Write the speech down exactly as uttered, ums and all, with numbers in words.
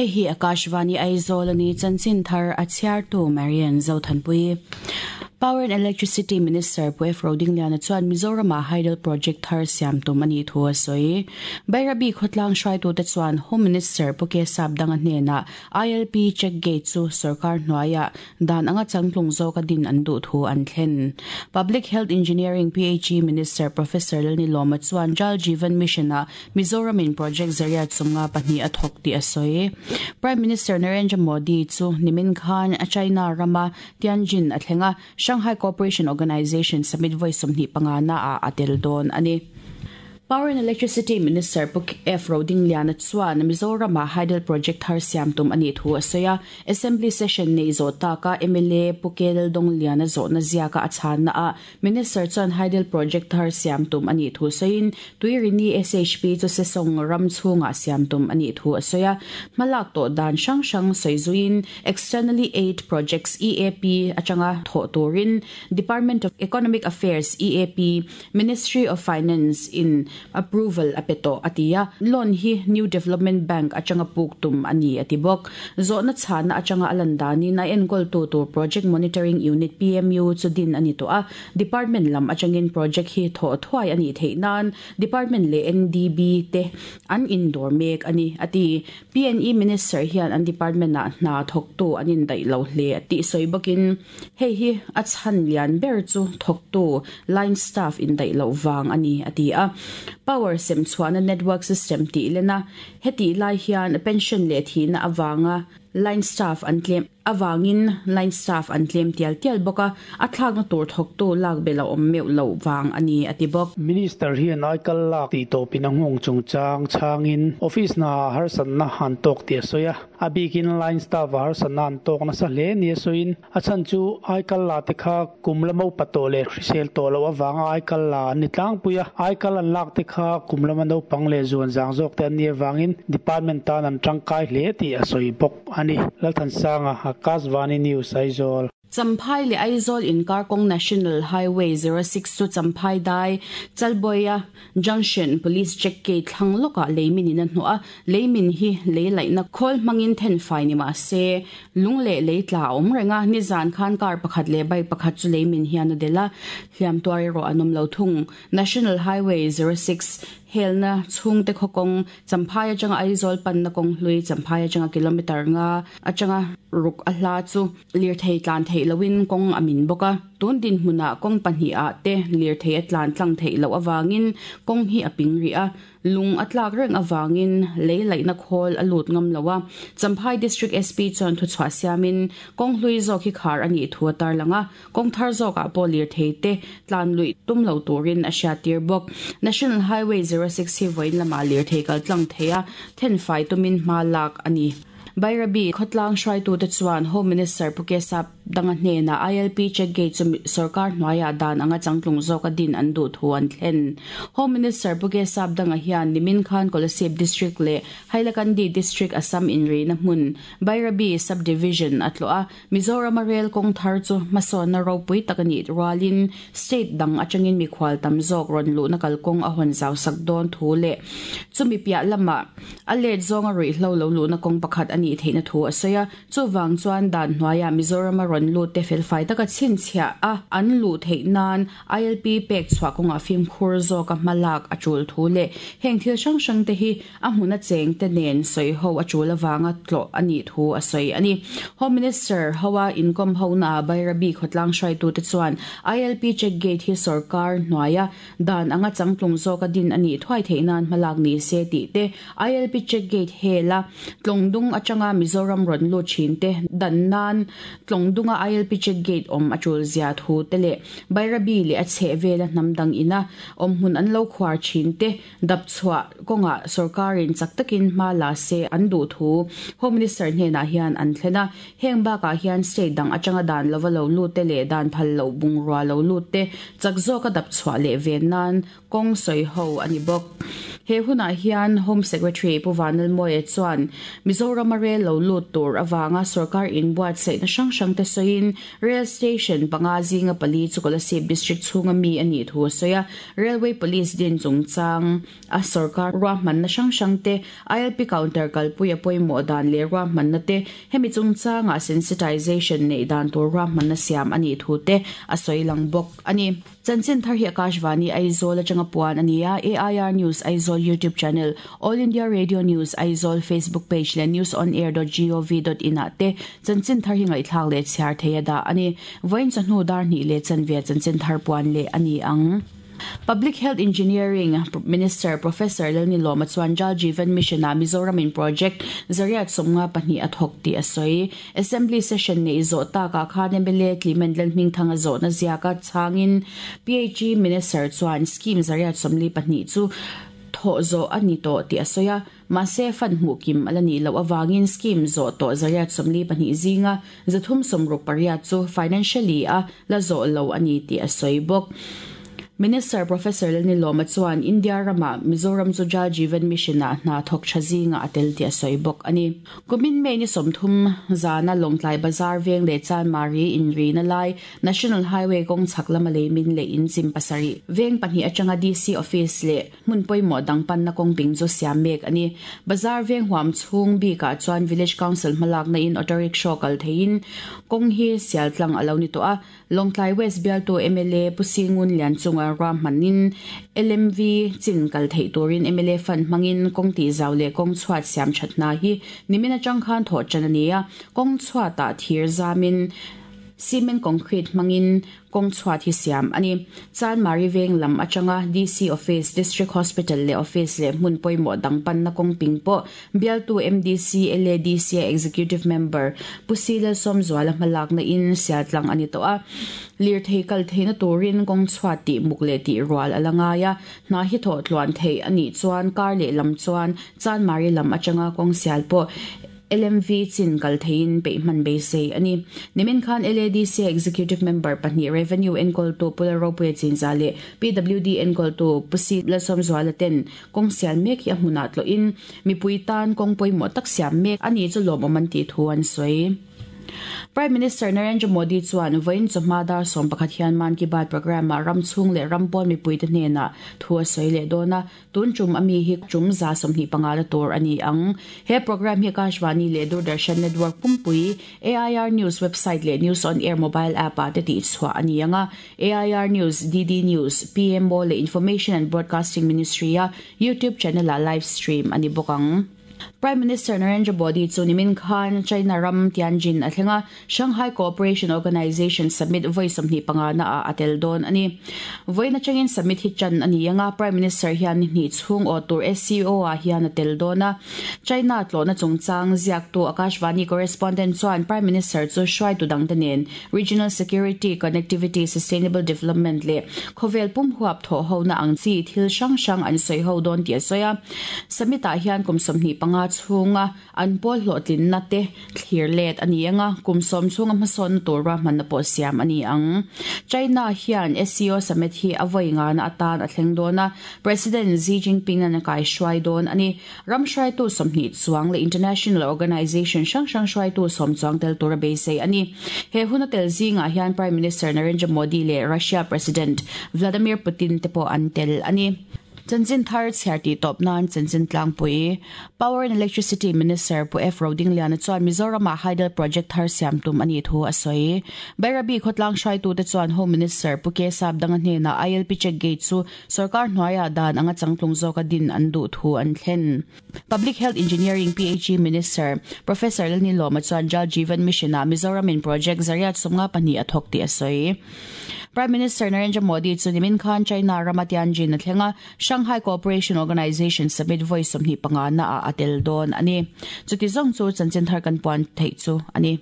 Hei hi Akashvani Aizawl ani chanchin thar a chhiartu Marian Zothanpui. Power and Electricity Minister Pu F. Rodingliana chuan Mizoram ah Hydel Project thar siam tum ani thu a sawi. Bairabi khawtlang hruaitute chuan Home Minister Pu K. Sapdanga hnenah I L P check gate chu sarkar hnuaiah dan anga changtlung zawka din an duh thu an thlen. Public Health Engineering P H E Minister Professor Lalni Lawma chuan Jal Jeevan Mission ah Mizoram in project zariat chunga pahnih a thawk tih a sawi. Prime Minister Narendra Modi chu nimin khan a China rama Tianjin a thlenga Shanghai Cooperation Organization Summit voi sawmhnih panga na a atel dawn ani. Power and Electricity Minister Pu F. Rodingliana chuan Mizoram ah Hydel Project thar siam tum ani thu a sawi a. Assembly session nei zawh taka M L A Pu K. Laldongliana zawhna ziaka a chhanna a Minister chuan Hydel Project thar siam tum ani thu sawiin Tuirini S H P chu sesong ram chhungah siam tum ani thu a sawi a. Hmalak tawh dan hrang hrang sawi zuiin Externally Aid Projects E A P atanga thawh turin Department of Economic Affairs E A P Ministry of Finance in approval apeto atia loan hi New Development Bank atanga puk tum ani atibok zawhna chhana atanga alandani na enkol tu tur Project Monitoring Unit P M U chudin ani to a department lam atangin project hi tho thuai ani theinan department le N D B te an indoor mek ani ati P N E Minister hian an department na hna thok tu anin dai lo hle ati soibakin hei hi a chan lian ber chu thok tu line staff in dai lo wang ani ati a Power sem chuana network system ti lena heti lai hian pension le thi na awanga line staff an claim awangin line staff an claim tial tial boka a thlak na tur thok tu lak bela om meu lo wang ani atibok. Minister hian aikal lak ti to pinangong chungchang changin office na har san na han tok ti soya abikin line staff har san na an tok na sa le ni soin achan chu aikal la te kha kumlamo patole hrisel to lo awanga aikal la ni tlang puya aikal an lak te kha kumlama no pangle zuan jang jok te ani wangin department tan an tangkai hle ti asoi bok ani Lalthan Sanga Akashvani News Aizawl. Champhai le Aizawl in Karkong National Highway zero six chu Champhai dai Chalboya Junction Police Check Gate thlang loka leimin in a hnuah leimin hi lei na khol mangin then fai ni ma se lungle lei tla awm renga nizan khan car pakhat le bike pakhat chu leimin hian a dela hliam tuari ro anom lo thung. National Highway zero six helna chhung te khokong Champhai atanga Aizawl pan na kong hlui Champhai atanga kilometer nga atanga ruk a hla chu lir thei tlan thei lowin kong amin boka tun din hmuna kong pahnih a te lir thei a tlan tlang thei lo awangin kong hi a ping ri a lung atlak reng awangin lei laihna khawl a lut ngam lowa Champhai District S P chuan thu chhuah siamin kong hlui zawk hi khar ani thu a tar langa kong thar zawk ah pawh lir thei te tlan lui tum lo turin a hriat tir bawk. National Highway zero six hi vawiin lama lir thei kal tlang thei a then fai tumin hma lak ani. Bairabi khawtlang hruaitute chuan Home Minister Pu K. Sapdanga hnenah I L P check gate chu sarkar hnuaiah dan anga changtlung zawka din an duh thu an thlen. Home Minister Pu K. Sapdanga hian nimin khan Kolasib District le Hailakandi District Assam inri na hmun Bairabi Subdivision a tlo a Mizoram a rail kawng thar chu hmasawnna ropui tak ani rualin state dang atangin mikhual tam zawk rawn luhna kalkawng a hawn zau sak dawn thu le chumi piah lama a let zawnga ruihhlo lo luhna kawng pakhat ani theihna thu a sawi a chuwang chuan dan hnuaiah Mizoram a rawn lut te felfai taka chhinchhiah a an luh theih nan I L P pek chhuah kawngah fimkhur zawk a hmalak a tul thu le heng thil hrang hrang te hi a hmun a cheng te nen sawi ho a tul awanga tlawh ani thu a sawi ani. Home Minister Hawa inkom ho na Bairabi khawtlang hruaitute chuan I L P check gate hi sarkar hnuaia dan anga changtlung zawk a din ani thuai theih nan hmalak ni se tih te I L P check gate hela tlawngdung atanga Mizoram rawn lut thin te dan nan tlawngdunga I L P check gate awm a tul zia thu te le Bairabi le a chheh vela hnam dang ina awm hmun an lo khuar thin te dap chhuah kawngah sarkarin chak takin hma la se an duh thu Home Minister hnenah hian an thlen a heng bakah hian state dang atanga dan lova lo lut te leh dan phal lo bungrua lo lut te chak zawka dap chhuah leh ven nan kawng sawi ho ani bawk. He hunah hian Home Secretary Pu Vanlalmawia chuan Mizoram a rel lo lut tur awanga sarkar inbuatsaihna hrang hrang te sawiin rail station panga zinga pali chu Kolasib district chhunga mi ani thu a sawi a. Railway Police din chungchang a sarkar ruahmanna hrang hrang te I L P counter kalpui a pawimawh dan leh ruahmanna te hemi chungchanga sensitization nei dan tur ruahmanna siam ani thu te a sawi lang bawk ani. Chanchin thar hi Akashvani Aizawl atanga puan ania. A I R News Aizawl YouTube channel, All India Radio News Aizawl Facebook page le news on air dot gov dot in a te chanchin thar hi ngaihthlak le chhiar theia da ani. Voin chahnu dar ni le chanve chanchin thar puan le ani ang. Public Health Engineering Minister Professor Lalnilawma chuan Jal Jeevan Mission a Mizoram in project zariat sawmnga pahnih a thawk tih a sawi. Assembly session nei zawh takah khan M L A Clement Lalhmingthanga zawhna ziaka changin P H E Minister chuan scheme zariat sawmli pahnih chu thaw zawh ani tawh tih a sawi a. Mahse fan hmuh kim ala ni lo awangin scheme zawh tawh zariat sawmli pahnih zinga zathum sawmruk pariat chu financially a la zawh lo ani tih a sawi bawk. Minister Professor Lalnilawma chuan India rama Mizoram chu Jal Jeevan Mission a hna thawk tha zinga a tel tih a sawi bawk ani. Kumin May ni sawmthum zana Lawngtlai Bazar veng leh Chanmari inrina lai National Highway kawng chhak lama leimin leh in chim pasarih veng pahnih atanga D C office leh hmun pawimawh dang panna kawng ping chu siam mek ani. Bazar veng huam chhung bikah chuan Village Council hmalakna in auto rickshaw kal theiin kawng hi sial tlang a lo ni tawh a. Lawngtlai West bialtu M L A Pu Singun Lian chunga ruahmanin L M V chin kal thei turin M L A fund hmangin kawng tih zau leh kawng chhuat siam thatna hi nimin atang khan thawh tan ani a. Kawng chhuatah thir zamin cement concrete hmangin kawng chhuat hi siam ani. Chanmari veng lam atanga D C office, District Hospital leh office leh hmun pawimawh dang panna kawng ping pawh bialtu M D C L A D C Executive Member Pu Lalsawmzuala hmalakna in sial tlang ani tawh a. Lir thei kal theina turin kawng chhuat tih muk leh tih rual a la ngai a. Hna hi thawh tluan thei ani chuan kar leh lam chuan Chanmari lam atanga kawng sial pawh L M V chin kal theiin peihman beisei ani. Nimin khan L A D C Executive Member pahnih Revenue enkawl tu Pu Lalropuia Chinza leh P W D enkawl tu Pu Lalsawmzuala ten kawng sial mek hi a hmunah tlawhin mipui tan kawng pawimawh tak siam mek ani chu lawmawm an tih thu an sawi. Prime Minister Narendra Modi chuan vawiin chawhma dar sawm pakhat hian Mann Ki Baat program a ram chhung leh ram pawn mipui te hnenah thu a sawi leh dawn a. Tun tum ami hi tum za sawmhnih panga la tur ani ang. He program hi Akashvani leh Doordarshan Network pumpui A I R News website leh News on Air mobile app a te tih chhuah ani anga. A I R News, D D News, P M O leh Information and Broadcasting Ministry a YouTube channel a live stream ani bawk ang. Prime Minister Narendra Modi chu nimin khan China ram Tianjin a thlenga Shanghai Cooperation Organization Summit voi sawmhnih panga na a atel dawn ani. Voina changin summit hi chan ani anga Prime Minister hian ni chhung aw tur S C O a hian atel dawn a. China tlawhna chungchang ziak tu Akashvani correspondent chuan Prime Minister chu hruai tu dang te nen Regional Security, Connectivity, Sustainable Development leh khawvel pum huap thaw ho na ang chi thil hrang hrang an sawi ho dawn tih a sawi a. Summit ah hian kum sawmhnih panga chhunga an pawl hlawhtlinna te thlir let ani anga kum sawm chhunga hmasawnna tur ruahmanna pawh siam ani ang. China hian S C O summit hi a vawi nga na atan a thleng dawn a. President Xi Jinping an kai hruai dawn ani. Ram hruaitu sawmhnih chuang leh international organization hrang hrang hruaitu sawm chuang tel tur a beisei ani. He hun a tel zingah hian Prime Minister Narendra Modi leh Russia President Vladimir Putin te pawh an tel ani. Chanchin thar chhiar tih tawp nan chanchin tlangpui Power and Electricity Minister Pu F Rodingliana chuan Mizoram a hydel project thar siam tum ani thu a sawi. Bairabi khawtlang hruaitu te chuan Home Minister Pu K Sap danga hnena I L P check gate chu sarkar hnuaia dan anga changtlung zawka din an duh thu an thlen. Public Health Engineering P H E Minister Professor Lalnilawma chuan Jal Jeevan Mission a Mizoram in project zariat sawmnga pahnih a thawk tih a sawi. Prime Minister Narendra Modi chu nimin khan China rama Tianjin a thlenga Shanghai Cooperation Organization Summit voi sawmhnih panga na a atel dawn ani. Chuti zawng chu chanchin thar kan puan theih chu ani.